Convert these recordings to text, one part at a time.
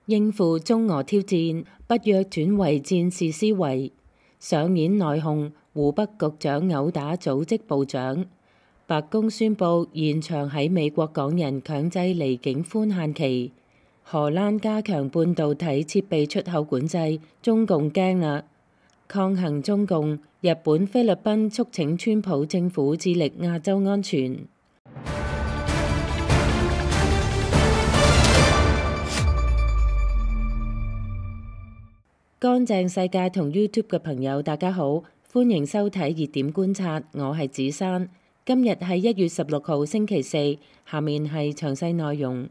應付中俄挑戰，北約轉為戰事思維，上演內訌，湖北局長毆打組織部長。白宮宣布延長喺美國港人強制離境寬限期。荷蘭加強半導體設備出口管制，中共驚啦！抗衡中共，日本、菲律賓促請川普政府致力亞洲安全。乾淨世界同 YouTube 嘅朋友，大家好，歡迎收睇熱點觀察，我係子珊。今日係1月16號星期四，下面係詳細內容。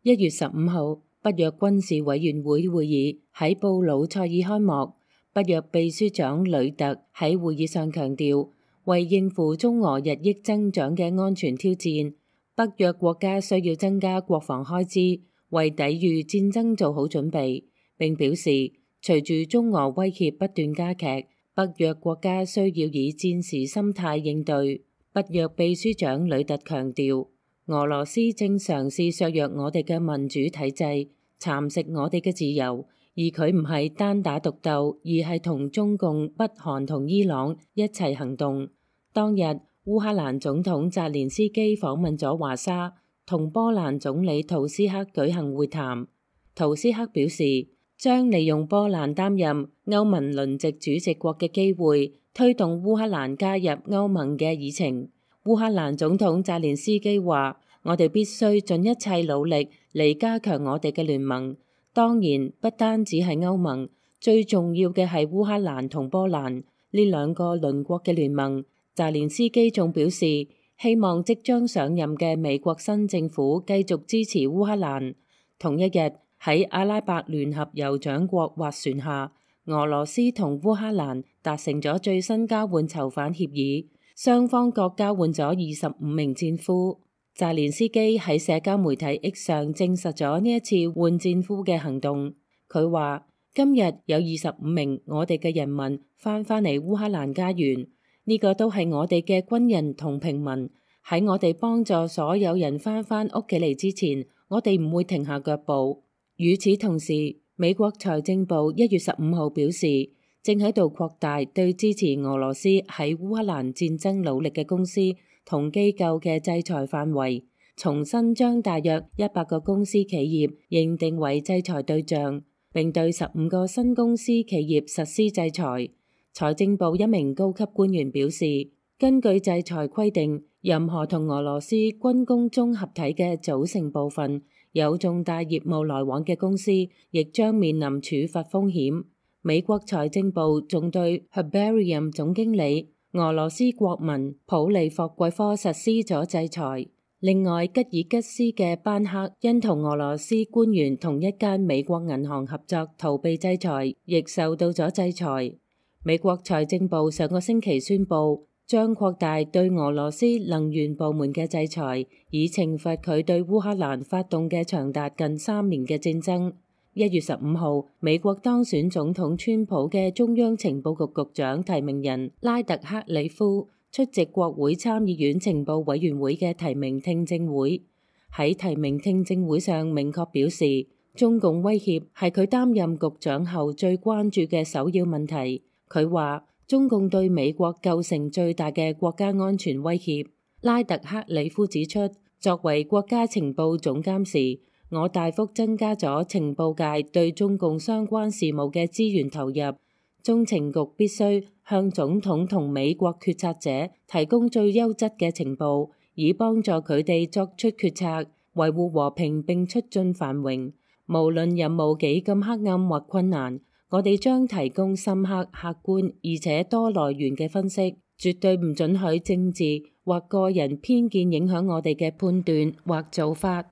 1月15號，北約軍事委員會會議喺布魯塞爾開幕。北約秘書長呂特喺會議上強調，為應付中俄日益增長嘅安全挑戰，北約國家需要增加國防開支，為抵禦戰爭做好準備。並表示，隨住中俄威脅不斷加劇，北約國家需要以戰時心態應對。北約秘書長呂特強調，俄羅斯正嘗試削弱我哋嘅民主體制，蠶食我哋嘅自由。而佢唔係單打獨鬥，而係同中共、北韓同伊朗一齊行動。當日，烏克蘭總統澤連斯基訪問咗華沙，同波蘭總理圖斯克舉行會談。圖斯克表示，將利用波蘭擔任歐盟輪值主席國嘅機會，推動烏克蘭加入歐盟嘅議程。烏克蘭總統澤連斯基話：我哋必須盡一切努力嚟加強我哋嘅聯盟。當然，不單止係歐盟，最重要嘅係烏克蘭同波蘭呢兩個鄰國嘅聯盟。澤連斯基仲表示，希望即將上任嘅美國新政府繼續支持烏克蘭。同一日，喺阿拉伯聯合酋長國斡旋下，俄羅斯同烏克蘭達成咗最新交換囚犯協議，雙方各交換咗25名戰俘。澤連斯基喺社交媒體 X 上證實咗呢一次換戰俘嘅行動。佢話：今日有25名我哋嘅人民翻嚟烏克蘭家園，呢個都係我哋嘅軍人同平民。喺我哋幫助所有人翻屋企嚟之前，我哋唔會停下腳步。與此同時，美國財政部1月15號表示，正喺度擴大對支持俄羅斯喺烏克蘭戰爭努力嘅公司同機構嘅制裁範圍，重新將大約100個公司企業認定為制裁對象，並對15個新公司企業實施制裁。財政部一名高級官員表示，根據制裁規定，任何同俄羅斯軍工綜合體嘅組成部分有重大業務來往嘅公司，亦將面臨處罰風險。美國財政部仲對 Herbarium 總經理俄羅斯國民普利霍季科實施咗制裁。另外，吉爾吉斯嘅班克因同俄羅斯官員同一間美國銀行合作逃避制裁，亦受到咗制裁。美國財政部上個星期宣布，將擴大對俄羅斯能源部門嘅制裁，以懲罰佢對烏克蘭發動嘅長達近3年嘅戰爭。1月15號，美國當選總統川普嘅中央情報局局長提名人拉特克里夫出席國會參議院情報委員會嘅提名聽證會。喺提名聽證會上明確表示，中共威脅係佢擔任局長後最關注嘅首要問題。佢話，中共對美國構成最大嘅國家安全威脅。拉特克里夫指出，作為國家情報總監時，我大幅增加咗情報界對中共相關事務嘅資源投入。中情局必須向總統同美國決策者提供最優質嘅情報，以幫助佢哋作出決策，維護和平並促進繁榮。無論任務幾咁黑暗或困難，我哋將提供深刻、客觀而且多來源嘅分析，絕對唔准許政治或個人偏見影響我哋嘅判斷或做法。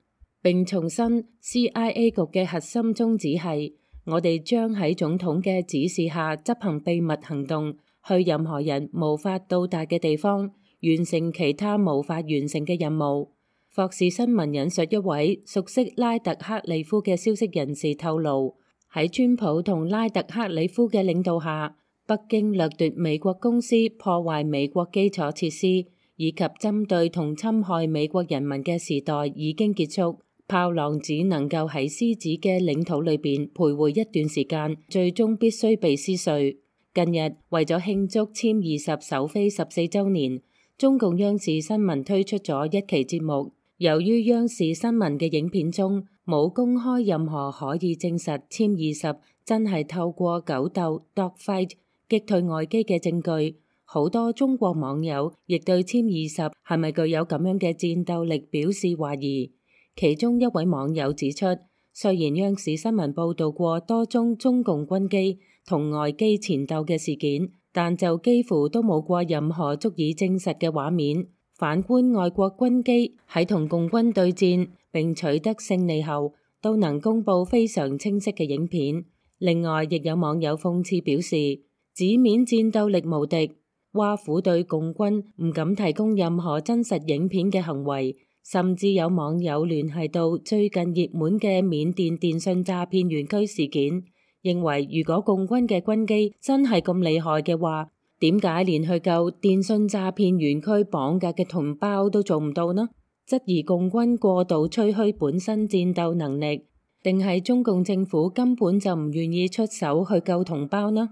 並重申 CIA 局嘅核心宗旨係，我哋將喺總統嘅指示下執行秘密行動，去任何人無法到達嘅地方，完成其他無法完成嘅任務。霍士新聞引述一位熟悉拉特克里夫嘅消息人士透露，喺川普同拉特克里夫嘅領導下，北京掠奪美國公司破壞美國基礎設施以及針對同侵害美國人民嘅時代已經結束。豹狼只能夠喺獅子嘅領土裏邊徘徊一段時間，最終必須被撕碎。近日為咗慶祝暹二十首飛14週年，中共央視新聞推出咗一期節目。由於央視新聞嘅影片中冇公開任何可以證實暹二十真係透過狗鬥 dogfight 擊退外機嘅證據，好多中國網友亦對暹二十係咪具有咁樣嘅戰鬥力表示懷疑。其中一位網友指出，雖然央視新聞報導過多宗中共軍機同外機纏鬥嘅事件，但就幾乎都冇過任何足以證實嘅畫面。反觀外國軍機喺同共軍對戰並取得勝利後，都能公佈非常清晰嘅影片。另外，亦有網友諷刺表示，紙面戰鬥力無敵，挖苦對共軍唔敢提供任何真實影片嘅行為。甚至有網友聯繫到最近熱門嘅緬甸電信詐騙園區事件，認為如果共軍嘅軍機真係咁厲害嘅話，點解連去救電信詐騙園區綁架嘅同胞都做唔到呢？質疑共軍過度吹噓本身戰鬥能力，定係中共政府根本就唔願意出手去救同胞呢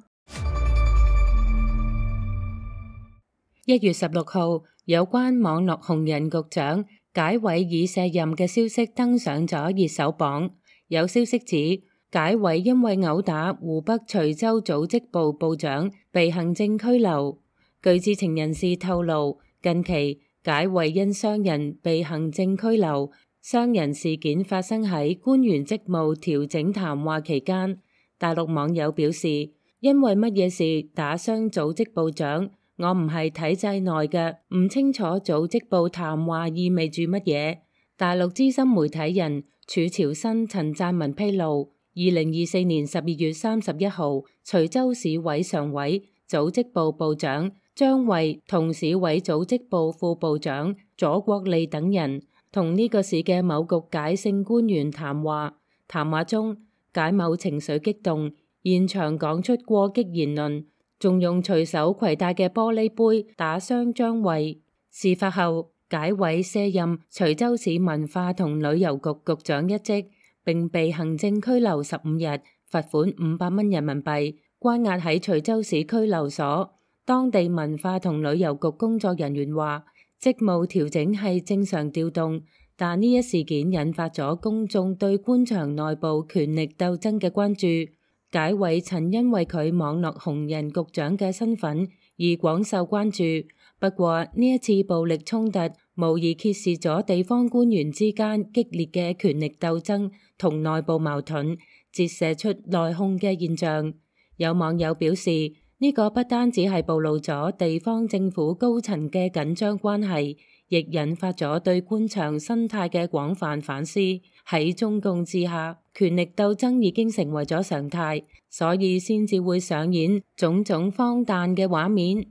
？1月16號，有關網絡紅人局長解委已卸任嘅消息登上咗熱搜榜。有消息指，解委因為毆打湖北徐州組織部部長被行政拘留。據知情人士透露，近期解委因傷人被行政拘留。傷人事件發生喺官員職務調整談話期間。大陸網友表示，因為乜嘢事打傷組織部長？我唔係體制內嘅，唔清楚組織部談話意味住乜嘢。大陸資深媒體人儲朝新陳贊文披露，2024年12月31號，徐州市委常委、組織部部長張衛同市委組織部副部長左國利等人同呢個市嘅某局解勝官員談話。談話中，解某情緒激動，現場講出過激言論。仲用隨手攜帶嘅玻璃杯打傷張衛。事發後，解委卸任徐州市文化同旅遊局局長一職，並被行政拘留15日，罰款500蚊人民幣，關押喺徐州市拘留所。當地文化同旅遊局工作人員話，職務調整係正常調動，但呢一事件引發咗公眾對官場內部權力鬥爭嘅關注。解委曾因為佢網絡紅人局長嘅身份而廣受關注，不過呢一次暴力衝突無疑揭示咗地方官員之間激烈嘅權力鬥爭同內部矛盾，折射出內訌嘅現象。有網友表示，呢個不單止係暴露咗地方政府高層嘅緊張關係，亦引發咗對官場生態嘅廣泛反思。喺中共之下，權力鬥爭已經成為咗常態，所以先至會上演種種荒誕嘅畫面。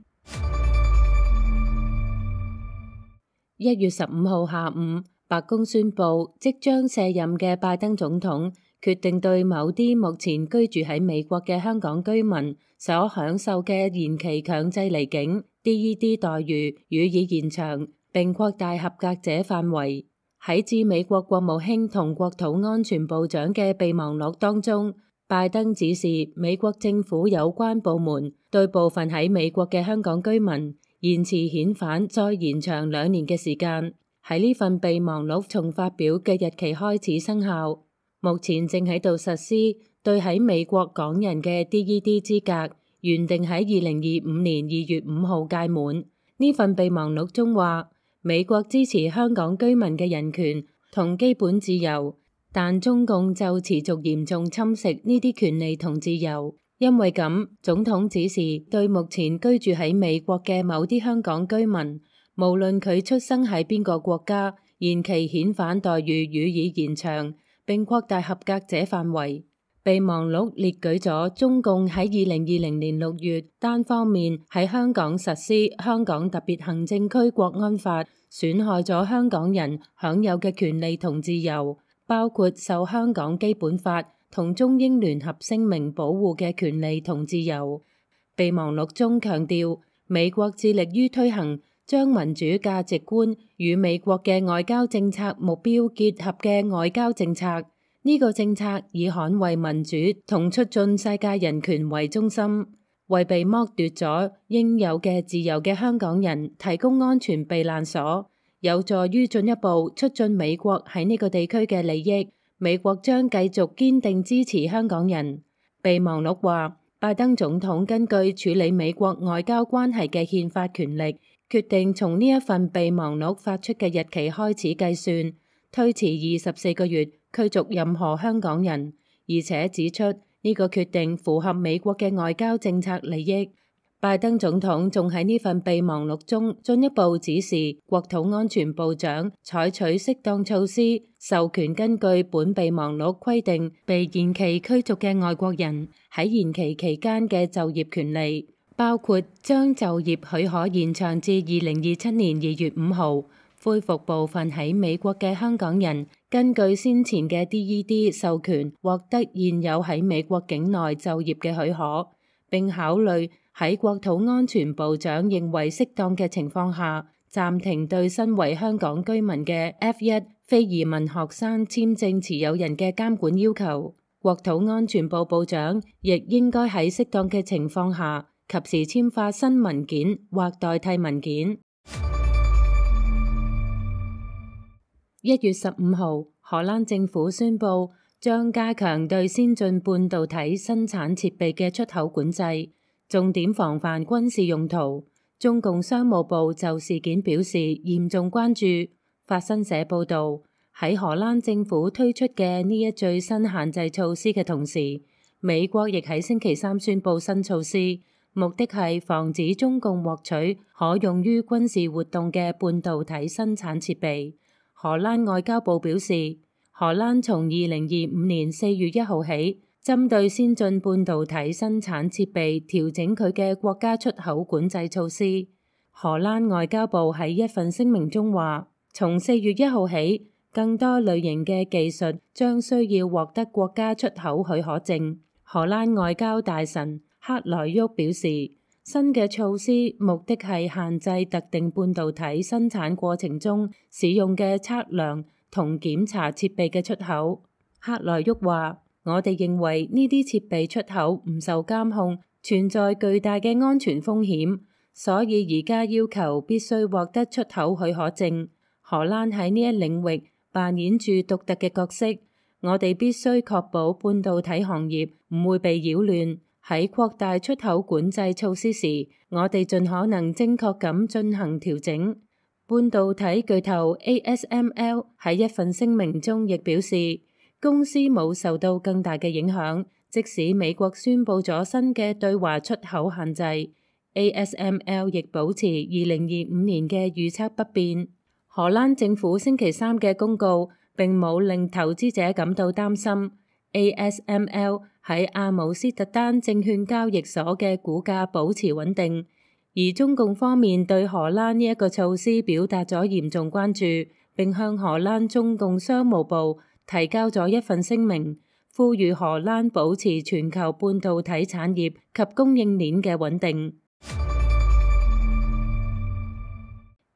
1月15號下午，白宮宣布即將卸任嘅拜登總統決定對某啲目前居住喺美國嘅香港居民所享受嘅延期強制離境 DED 待遇予以延長，並擴大合格者範圍。喺致美國國務卿同國土安全部長嘅備忘錄當中，拜登指示美國政府有關部門對部分喺美國嘅香港居民延遲遣返再延長2年嘅時間。喺呢份備忘錄從發表嘅日期開始生效，目前正喺度實施對喺美國港人嘅 DED 資格，原定喺2025年2月5號屆滿。呢份備忘錄中話，美國支持香港居民嘅人權同基本自由，但中共就持續嚴重侵蝕呢啲權利同自由。因為咁，總統指示對目前居住喺美國嘅某啲香港居民，無論佢出生喺邊個國家，延期遣返待遇予以延長，並擴大合格者範圍。備忘錄列舉咗中共喺2020年6月單方面喺香港實施《香港特別行政區國安法》，損害咗香港人享有嘅權利同自由，包括受香港基本法同中英聯合聲明保護嘅權利同自由。備忘錄中強調，美國致力於推行將民主價值觀與美國嘅外交政策目標結合嘅外交政策。呢個政策以捍衛民主同促進世界人權為中心，為被剝奪咗應有嘅自由嘅香港人提供安全避難所，有助於進一步促進美國喺呢個地區嘅利益。美國將繼續堅定支持香港人。備忘錄話，拜登總統根據處理美國外交關係嘅憲法權力，決定從呢一份備忘錄發出嘅日期開始計算，推遲24個月驅逐任何香港人，而且指出呢個決定符合美國嘅外交政策利益。拜登總統仲喺呢份備忘錄中進一步指示國土安全部長採取適當措施，授權根據本備忘錄規定被延期驅逐嘅外國人喺延期期間嘅就業權利，包括將就業許可延長至2027年2月5號，恢復部分喺美國嘅香港人根據先前嘅 DED 授權獲得現有喺美國境內就業嘅許可，並考慮喺國土安全部長認為適當嘅情況下，暫停對身為香港居民嘅 F1 非移民學生簽證持有人嘅監管要求。國土安全部部長亦應該喺適當嘅情況下，及時簽發新文件或代替文件。1月15號，荷蘭政府宣布將加強對先進半導體生產設備嘅出口管制，重點防範軍事用途。中共商務部就事件表示嚴重關注。法新社報導，喺荷蘭政府推出嘅呢一最新限制措施嘅同時，美國亦喺星期三宣布新措施，目的係防止中共獲取可用於軍事活動嘅半導體生產設備。荷蘭外交部表示，荷蘭從2025年4月1號起，針對先進半導體生產設備調整佢嘅國家出口管制措施。荷蘭外交部喺一份聲明中話，從4月1號起，更多類型嘅技術將需要獲得國家出口許可證。荷蘭外交大臣克萊沃表示，新嘅措施目的係限制特定半導體生產過程中使用嘅測量同檢查設備嘅出口。克萊沃話，我哋認為呢啲設備出口唔受監控，存在巨大嘅安全風險，所以而家要求必須獲得出口許可證。荷蘭喺呢一領域扮演住獨特嘅角色，我哋必須確保半導體行業唔會被擾亂。喺擴大出口管制措施時，我哋盡可能正確咁進行調整。半導體巨頭 ASML 喺一份聲明中亦表示，公司冇受到更大嘅影響，即使美國宣布咗新嘅對華出口限制。ASML 亦保持2025年嘅預測不變。荷蘭政府星期三嘅公告並冇令投資者感到擔心。ASML 喺阿姆斯特丹證券交易所嘅股價保持穩定，而中共方面對荷蘭呢一個措施表達咗嚴重關注，並向荷蘭中共商務部提交咗一份聲明，呼籲荷蘭保持全球半導體產業及供應鏈嘅穩定。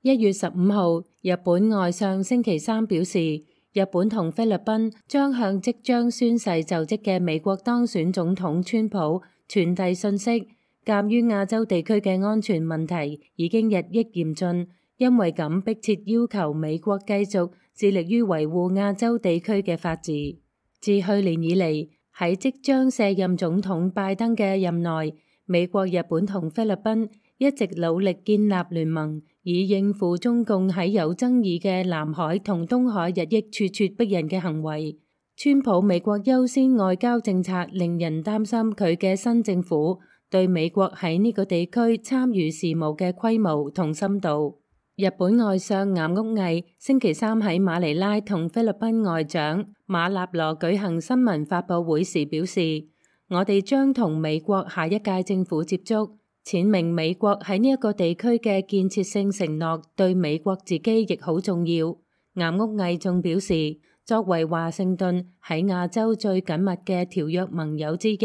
1月15號，日本外相星期三表示，日本同菲律賓將向即將宣誓就職嘅美國當選總統川普傳遞信息，鑑於亞洲地區嘅安全問題已經日益嚴峻，因為咁迫切要求美國繼續致力於維護亞洲地區嘅法治。自去年以嚟，喺即將卸任總統拜登嘅任內，美國、日本同菲律賓一直努力建立聯盟，以應付中共喺有爭議嘅南海同東海日益咄咄逼人嘅行為。川普美國優先外交政策令人擔心佢嘅新政府對美國喺呢個地區參與事務嘅規模同深度。日本外相岩屋毅星期三喺馬尼拉同菲律賓外長馬納羅舉行新聞發佈會時表示，我哋將同美國下一屆政府接觸，闡明美國喺呢一個地區嘅建設性承諾對美國自己亦好重要。岩屋毅仲表示，作為華盛頓喺亞洲最緊密嘅條約盟友之一，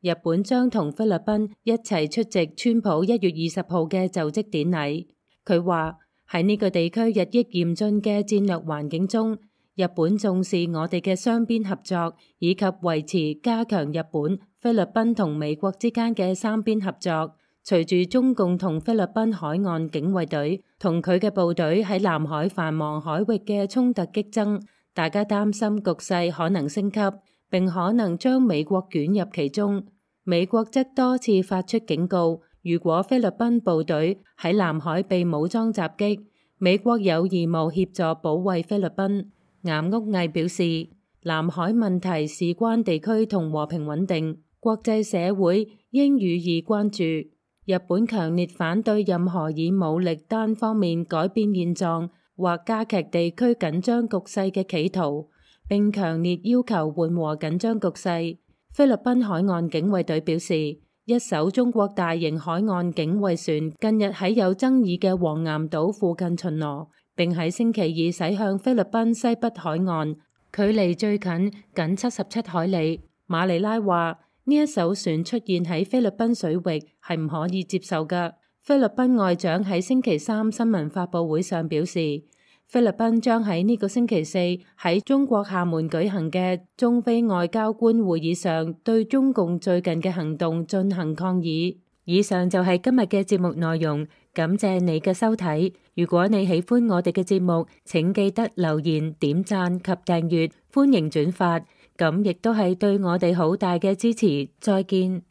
日本將同菲律賓一齊出席川普1月20號嘅就職典禮。佢話喺呢個地區日益嚴峻嘅戰略環境中，日本重視我哋嘅雙邊合作，以及維持加強日本、菲律賓同美國之間嘅三邊合作。隨住中共同菲律賓海岸警衛隊同佢嘅部隊喺南海繁忙海域嘅衝突激增，大家擔心局勢可能升級，並可能將美國捲入其中。美國則多次發出警告，如果菲律賓部隊喺南海被武裝襲擊，美國有義務協助保衛菲律賓。岩屋毅表示，南海問題事關地區同和平穩定，國際社會應予以關注。日本強烈反對任何以武力單方面改變現狀或加劇地區緊張局勢嘅企圖，並強烈要求緩和緊張局勢。菲律賓海岸警衛隊表示，一艘中國大型海岸警衛船近日喺有爭議嘅黃岩島附近巡邏，並喺星期二駛向菲律賓西北海岸，距離最近僅77海里。馬尼拉話，呢一艘船出現喺菲律賓水域係唔可以接受㗎。菲律賓外長喺星期三新聞發佈會上表示，菲律賓將喺呢個星期四喺中國廈門舉行嘅中菲外交官會議上對中共最近嘅行動進行抗議。以上就係今日嘅節目內容，感謝你嘅收睇。如果你喜歡我哋嘅節目，請記得留言、點讚及訂閱，歡迎轉發。咁亦都係對我哋好大嘅支持。再見。